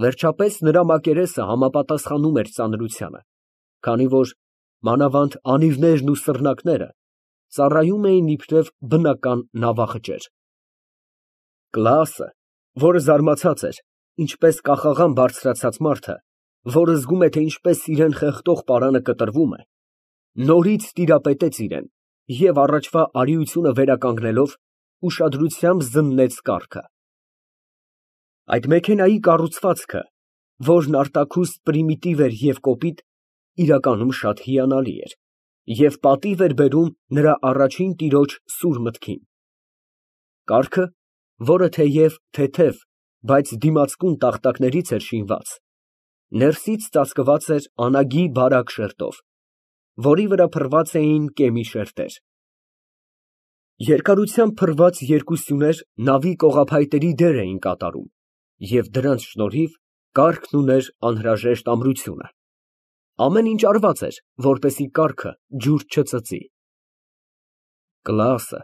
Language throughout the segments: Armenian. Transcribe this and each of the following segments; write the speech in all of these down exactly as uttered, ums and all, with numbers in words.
Վերջապես նրա մակերեսը համապատասխանում էր ծանրությանը, քանի որ մանավանդ անիվներն ու սռնակները ծառայում էին իբրև բնական նավախճեր։ Կլաասը, որը զարմացած էր, ինչպես կախաղան բարձրացած մարդը, որը զգում է, թե ինչպես իրան խեղդող պարանը կտրվում է, նորից տիրապետեց իրան և առաջվա արիությունը վերականգնելով, ուշադրությամբ զննեց կառքը։ Այդ մեքենայի կառուցվածքը, որն արտաքուստ պրիմիտիվ էր և կոպիտ, իրականում շատ հիանալի էր և պատիվ էր բերում նրա առաջին տիրոջ սուր մտքին։ Կառքը, որը թեև թեթև, բայց դիմացկուն տախտակներից էր շինված, ներսից ծածկված էր անագի բարակ շերտով, որի վրա փռված էին կեմի շերտեր։ Երկարությամբ փռված երկու սյուներ նավի կողափայտերի դեր էին կատարում և դրանց շնորհիվ կառքն ուներ անհրաժեշտ ամրությունը։ Ամեն ինչ արված էր, որպեսզի կառքը ջուր չծծի։ Կլաասը,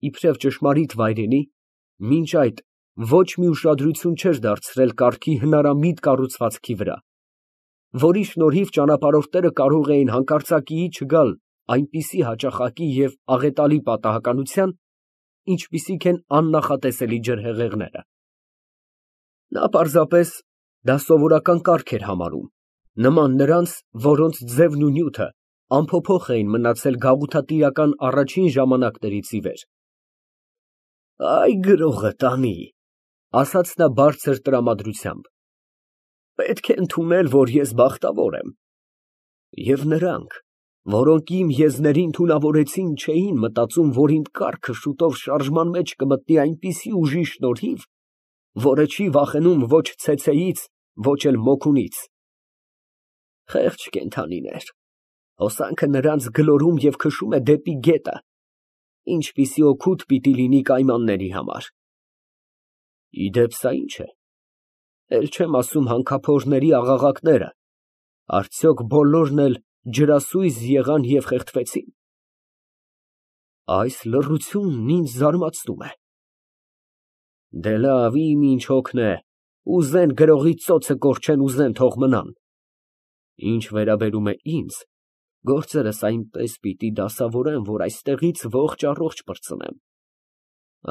իբրև ճշմարիտ վայրենի, մինչ այդ ոչ մի ուշադրություն չէր դարձրել կառքի հնարամիտ կառուցվածքի վրա, որի շնորհիվ ճանապարհորդները կարող էին հանկարծակիի չգալ այնպիսի հաճախակի և աղետալի պատահականության, ինչպիսիք են աննախատեսելի ջրհեղեղները։ Նա պարզապես դա սովորական կառք էր համարում, նման նրանց, որոնց ձևն ու նյութը անփոփոխ էին մնացել գաղութատիրական առաջին ժամանակներից ի վեր։ «Այ գրողը տանի», ֊ ասաց նա բարձր տրամադրությամբ, ֊ պետք է ընդունել, որ ես բախտավոր եմ, և նրանք, որոնք իմ եզներին թունավորեցին, չէին մտածում, որ իմ կառքը շուտով շարժման մեջ կմտնի այնպիսի ուժի շնորհիվ, որը չի վախենում ոչ ցեցեից, ոչ էլ մոգունից։ Խեղճ կենդանիներ, հոսանքը նրանց գլորում և քշում է դեպի գետը, ինչպիսի օգուտ պիտի լինի կայմանների համար։ Ի դեպ, սա ի՞նչ է, էլ չեմ ասում հանքափորների աղաղակները, արդյոք բոլորն էլ ջրասույզ եղան և խեղդվեցին։ Այս լռությունն ինձ զարմացնում է։ Դե լավ, իմ ինչ հոգն է, ուզեն գրողի ծոցը կորչեն, ուզեն թող մնան։ Ինչ վերաբերում է ինձ, գործերս այնպես պիտի դասավորեմ, որ այստեղից ողջ֊առողջ պրծնեմ։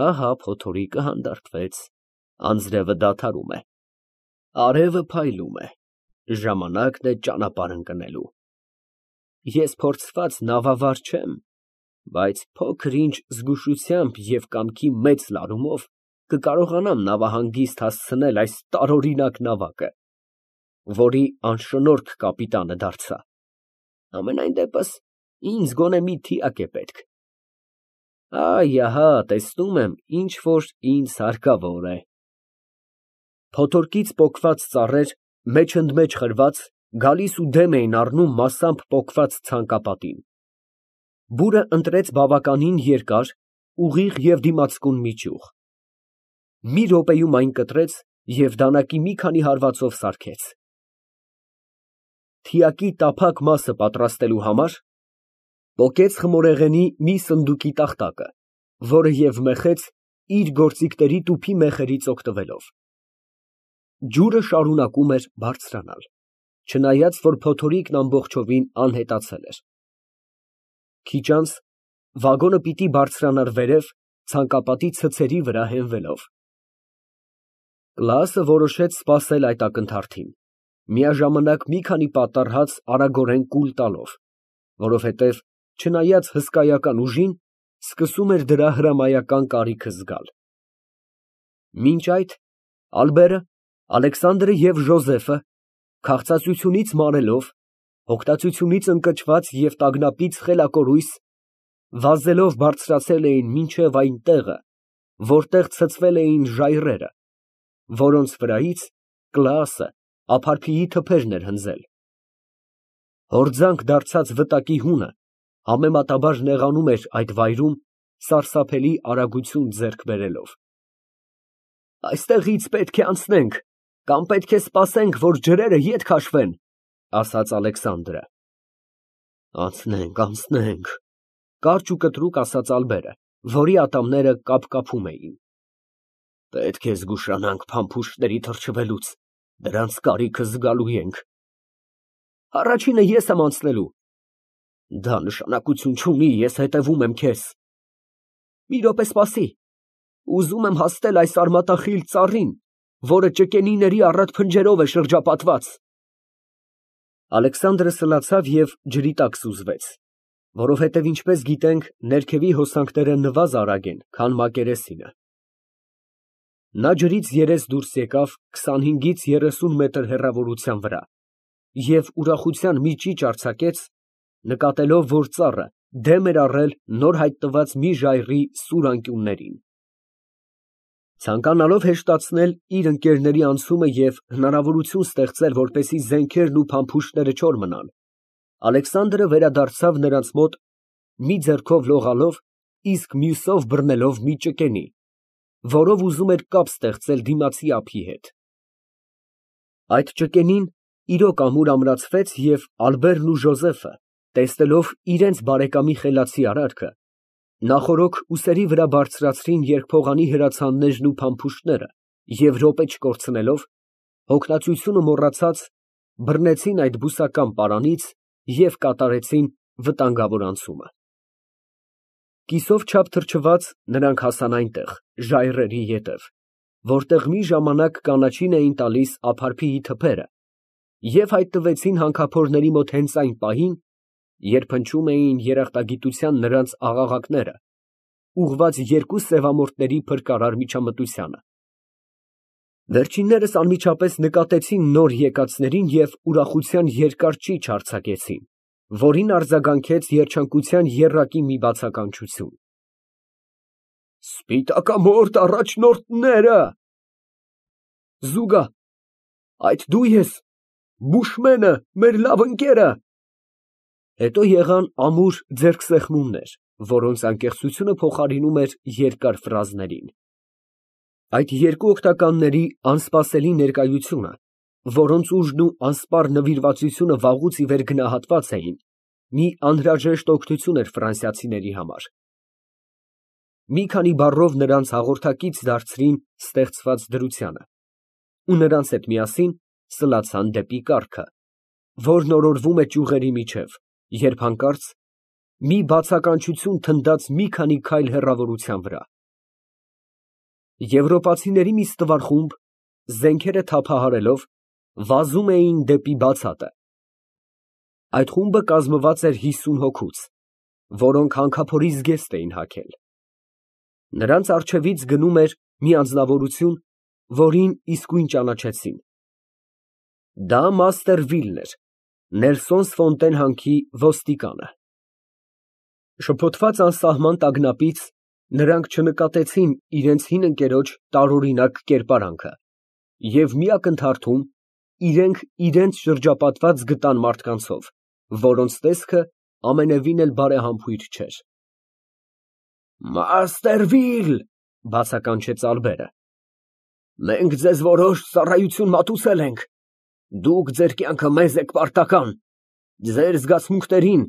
Ահա փոթորիկը հանդարտվեց, անձրևը դադարում է, արևը փայլում է, ժամանակն է ճանապարհ ընկնելու։ Ես փորձված նավավար չեմ, բայց փոքր֊ինչ զգուշությամբ և կամքի մեծ լարումով կկարողանամ նավահանգիստ հասցնել այս տարօրինակ նավակը, որի անշնորհք կապիտանը դարձա։ Համենայն դեպս, ինձ գոնե մի թիակ է պետք։ Այ, ահա, տեսնում եմ, ինչ որ ինձ հարկավոր է։ Փոթորկից պոկված ծառեր, մեջ ընդ մեջ խրված, գալիս ու դեմ էին առնում մասամբ պոկված ցանկապատին։ Բուրը ընտրեց բավականին երկար, ուղիղ և դիմացկուն մի ճյուղ։ Մի րոպեում այն կտրեց և դանակի մի քանի հարվածով սարքեց։ Թիակի տափակ մասը պատրաստելու համար պոկեց խմորեղենի մի սնդուկի տախտակը, որը և մեխեց իր գործիքների տուփի մեխերից օգտվելով։ Ջուրը շարունակում էր բարձրանալ, չնայած որ փոթորիկն ամբողջովին անհետացել էր։ Քիչ անց վագոնը պիտի բարձրանար վերև, ցանկապատի ցցերի վրա հենվելով։ Կլաասը որոշեց սպասել այդ ակնթարթին, միաժամանակ մի քանի պատառ հաց արագորեն կուլ տալով, որովհետև, չնայած հսկայական ուժին, սկսում էր դրա հրամայական կարիքը զգալ։ Մինչ այդ ալբերը, Ալեքսանդրը և Ժոզեֆը, քաղցածությունից մարելով, հոգտացությունից ընկճված և տագնապից խելակորույս, վազելով բարձրացել էին մինչև այն տեղը, որտեղ ցցվել էին ժայռերը, որոնց վրայից Կլաասը ափարփիի թփերն էր հնձել։ Հորձանք դարձած վտակի հունը համեմատաբար նեղանում էր այդ վայրում, սարսափելի արագություն ձեռք բերելով։ Այստեղից պետք է անցնենք, կամ պետք է սպասենք, որ ջրերը ետ քաշվեն, ֊ ասաց Ալեքսանդրը։ Անցնենք, անցնենք, ֊ կարճ ու կտրուկ ասաց ալբերը, որի ատամները կապկապում էին։ Պետք է զգուշանանք փամփուշտների թռչվելուց, Դրանց կարիքը զգալու ենք։ Առաջինը ես եմ անցնելու։ Դա նշանակություն չունի, ես հետևում եմ քեզ։ Մի րոպե սպասի, ուզում եմ հասնել այս արմատախիլ ծառին, որը ճկենիների առատ փնջերով է շրջապատված։ Ալեքսանդրը սլացավ և ջրի տակ սուզվեց, որովհետև ինչպես գիտենք, ներքևի հոսանքները նվազ արագ են, քան մակերեսինը։ Նա ջրից երես դուրս եկավ քսանհինգից երեսուն մետր հեռավորության վրա և ուրախության մի ճիչ արձակեց, նկատելով, որ ծառը դեմ էր առել նոր հայտնված մի ժայռի սուր անկյուններին։ Ցանկանալով հեշտացնել իր ընկերների անցումը և հնարավորություն ստեղծել, որպեսզի զենքերն ու փամփուշտները չոր մնան, Ալեքսանդրը վերադարձավ նրանց մոտ, մի ձեռքով լողալով, իսկ մյուսով բռնելով մի ճկենի, որով ուզում էր կապ ստեղծել դիմացի ափի հետ։ Այդ ճկենին իրոք ամուր ամրացվեց, և Ալբերտն ու Ժոզեֆը, տեսնելով իրենց բարեկամի խելացի արարքը, նախօրոք ուսերի վրա բարձրացրին երկփողանի հրացաններն ու փամփուշտները և րոպե չկորցնելով, հոգնածությունը մոռացած, բռնեցին այդ բուսական պարանից և կատարեցին վտանգավոր անցումը։ Կիսով չափ թրջված նրանք հասան այնտեղ, ժայռերի ետև, որտեղ մի ժամանակ կանաչին էին տալիս ափարփիի թփերը, և հայտնվեցին հանքափորների մոտ հենց այն պահին, երբ հնչում էին երախտագիտության նրանց աղաղակները, ուղղված երկու սևամորթների փրկարար միջամտությանը։ Վերջիններս անմիջապես նկատեցին նոր եկածներին և ուրախության երկար ճիչ արձակեցին, որին արձագանքեց երջանկության եռակի մի բացականչություն։ Սպիտակամորթ առաջնորդները… Զուգա, այդ դու ես, Բուշմենը, մեր լավ ընկերը… Հետո եղան ամուր ձեռքսեղմումներ, որոնց անկեղծությունը փոխարինում էր երկար ֆրազներին։ Այդ երկու օգնականների անսպասելի ներկայությունը, որոնց ուժն ու անսպառ նվիրվածությունը վաղուց ի վեր գնահատված էին, մի անհրաժեշտ օգնություն էր ֆրանսիացիների համար։ Մի քանի բառով նրանց հաղորդակից դարձրին ստեղծված դրությանը ու նրանց հետ միասին սլացան դեպի կառքը, որն օրորվում է ճյուղերի միջև, երբ հանկարծ մի բացականչություն թնդաց մի քանի քայլ հեռավորության վրա։ Եվրոպացիների մի ստվար խումբ, զենքերը թափահարելով, վազում էին դեպի բացատը։ Այդ խումբը կազմված էր հիսուն հոգուց, որոնք հանքափորի զգեստ էին հագել։ Նրանց առջևից գնում էր մի անձնավորություն, որին իսկույն ճանաչեցին։ Դա մաստեր Վիլն էր, Նելսոնս Ֆոնտեն հանքի ոստիկանը։ Շփոթված անսահման տագնապից նրանք չնկատեցին իրենց հին ընկերոջ տարօրինակ կերպարանքը և մի ակնթարթում իրենք իրենց շրջապատված գտան մարդկանցով, որոնց տեսքը ամենևին էլ բարեհամբույր չէր։ Մաստեր Վիլ… ֊ բացականչեց Ալբերը, մենք ձեզ որոշ ծառայություն մատուցել ենք, դուք ձեր կյանքը մեզ եք պարտական, ձեր զգացմունքներին,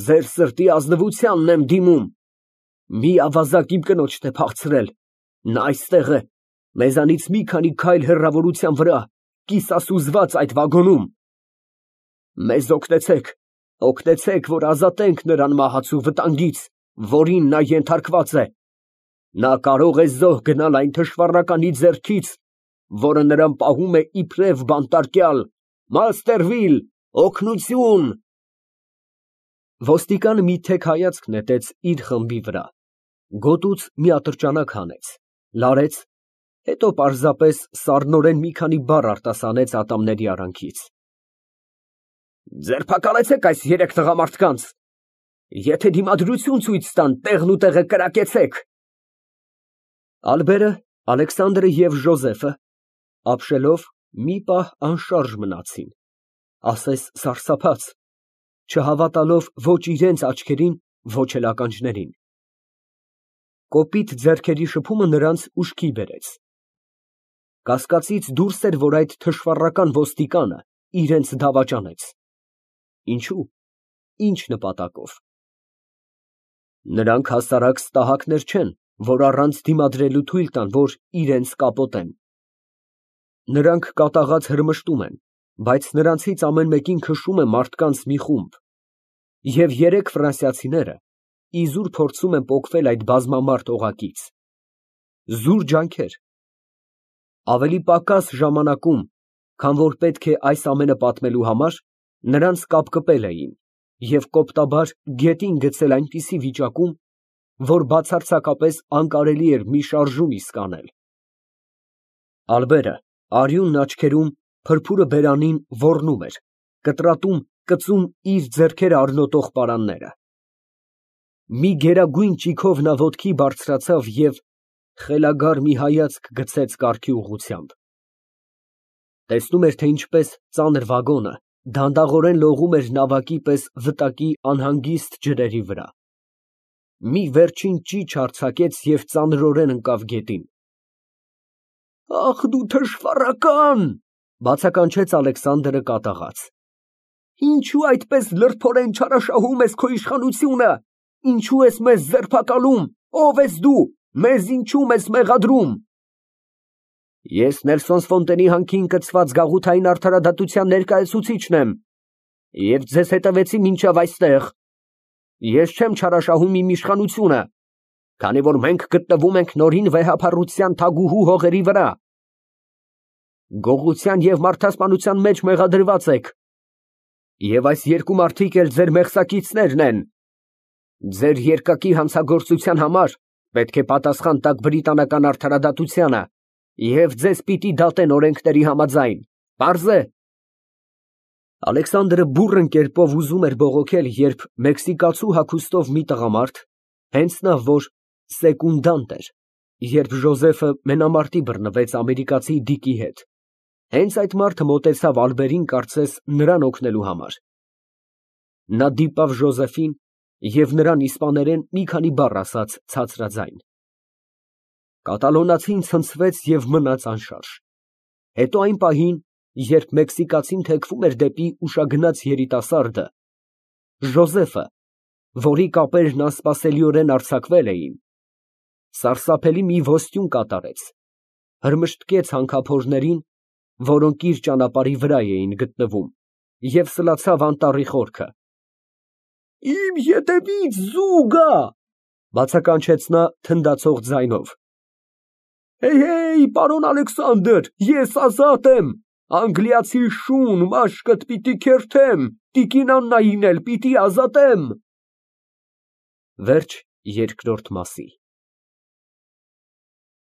ձեր սրտի ազնվությանն եմ դիմում, մի ավազակ իմ կնոջն է փախցրել, նա այստեղ է, մեզանից մի քանի քայլ հեռավորության վրա, կիսասուզված այդ վագոնում։ Մեզ օգնեցեք, օգնեցեք, որ ազատենք նրան մահացու վտանգից, որին նա ենթարկված է, նա կարող է զոհ գնալ այն թշվառականի ձեռքից, որը նրան պահում է իբրև բանտարկյալ, մաստեր Վիլ, օգնություն… Ոստիկանը մի թեք հայացք նետեց իր խմբի վրա, գոտուց մի ատրճանակ հանեց, լարեց, հետո պարզապես սառնորեն մի քանի բառ արտասանեց ատամների արանքից։ Ձերբակալեցեք այս երեք տղամարդկանց, եթե դիմադրություն ցույց տան, տեղն ու տեղը կրակեցեք։ Ալբերը, Ալեքսանդրը և Ժոզեֆը, ապշելով, մի պահ անշարժ մնացին, ասես սարսափած, չհավատալով ոչ իրենց աչքերին, ոչ էլ ականջներին։ Կոպիտ ձեռքերի շփումը նրանց ուշքի բերեց։ Կասկածից դուրս էր, որ այդ թշվառական ոստիկանը իրենց դավաճանեց։ Ինչո՞ւ, ի՞նչ նպատակով։ Նրանք հասարակ ստահակներ չեն, որ առանց դիմադրելու թույլ տան, որ իրենց կապոտեն։ Նրանք կատաղած հրմշտում են, բայց նրանցից ամեն մեկին քշում է մարդկանց մի խումբ, և երեք ֆրանսիացիները իզուր փորձում են պոկվել այդ բազմամարդ օղակից։ Զուր ջանքեր։ Ավելի պակաս ժամանակում, քան որ պետք է այս ամենը պատմելու համար, նրանց կապկպել էին և կոպտաբար գետին գցել այնպիսի վիճակում, որ բացարձակապես անկարելի էր մի շարժում իսկ անել։ Ալբերը արյունն աչքերում, փրփուրը բերանին ոռնում էր, կտրատում, կծում իր ձեռքերը արնոտող պարանները։ Մի գերագույն ճիգով նա ոտքի բարձրացավ և խելագար մի հայացք գցեց կառքի ուղղությամբ։ Տեսնում էր, թե ինչպես ծանր վագոնը դանդաղորեն լողում էր նավակի պես վտակի անհանգիստ ջրերի վրա։ Մի վերջին ճիչ արձակեց և ծանրորեն ընկավ գետին։ «Ախ դու թշվառակա՜ն», ֊ բացականչեց Ալեքսանդրը կատաղած։ «Ինչո՞ւ այդպես լրբորեն չարաշահում ես քո իշխանությունը, ինչո՞ւ ես մեզ ձերբակալում, ո՞վ ես դու, մեզ ինչո՞ւ ես մեղադրում»։ Ես Նելսոն Ֆոնտենի հանքին կցված գաղութային արդարադատության ներկայացուցիչն եմ և ձեզ հետևեցի մինչև այստեղ։ Ես չեմ չարաշահում իմ իշխանությունը, քանի որ մենք գտնվում ենք Նորին վեհափառության թագուհու հողերի վրա։ Գողության և մարդասպանության մեջ մեղադրված եք, և այս երկու մարդիկ էլ ձեր մեղսակիցներն են։ Ձեր երկակի հանցագործության համար պետք է պատասխան տաք բրիտանական արդարադատությանը և ձեզ պիտի դատեն օրենքների համաձայն, պարզ է։ Ալեքսանդրը բուռն կերպով ուզում էր բողոքել, երբ մեքսիկացու հագուստով մի տղամարդ, հենց նա, որ սեկունդանտ էր, երբ Ժոզեֆը մենամարտի բռնվեց ամերիկացի Դիկի հետ, հենց այդ մարդը մոտեցավ ալբերին կարծես նրան օգնելու համար։ Նա դիպավ Ժոզեֆին և նրան իսպաներեն մի քանի բառ ասաց ցածրաձայն։ Կատալոնացին ցնցվեց և մնաց անշարժ։ Հետո այն պահին, երբ մեքսիկացին թեքվում էր դեպի ուշագնաց երիտասարդը, Ժոզեֆը, որի կապերն անսպասելիորեն արձակվել էին, սարսափելի մի ոստյուն կատարեց, հրմշտկեց հանքափորներին, որոնք իր ճանապարհի վրա էին գտնվում, և սլացավ անտառի խորքը։ «Իմ ետևից զու գա», ֊ բացականչեց նա թնդացող ձայնով։ «Հեյ, պարոն Ալեքսանդր, ես ազատ եմ, անգլիացի շուն մաշկդ պիտի քերթեմ, տիկին Աննային էլ պիտի ազատեմ»։ Վերջ երկրորդ մասի։